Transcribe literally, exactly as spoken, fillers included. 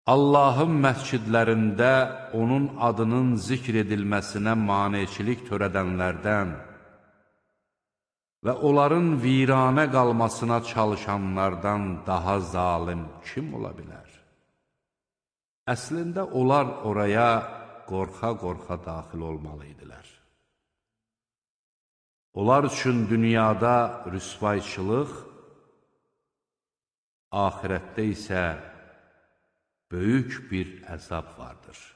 Allahın məscidlərində onun adının zikr edilməsinə maneçilik törədənlərdən və onların viranə qalmasına çalışanlardan daha zalim kim ola bilər? Əslində, onlar oraya qorxa-qorxa daxil olmalıydilər. Onlar üçün dünyada rüsvayçılıq, axirətdə isə böyük bir əzab vardır.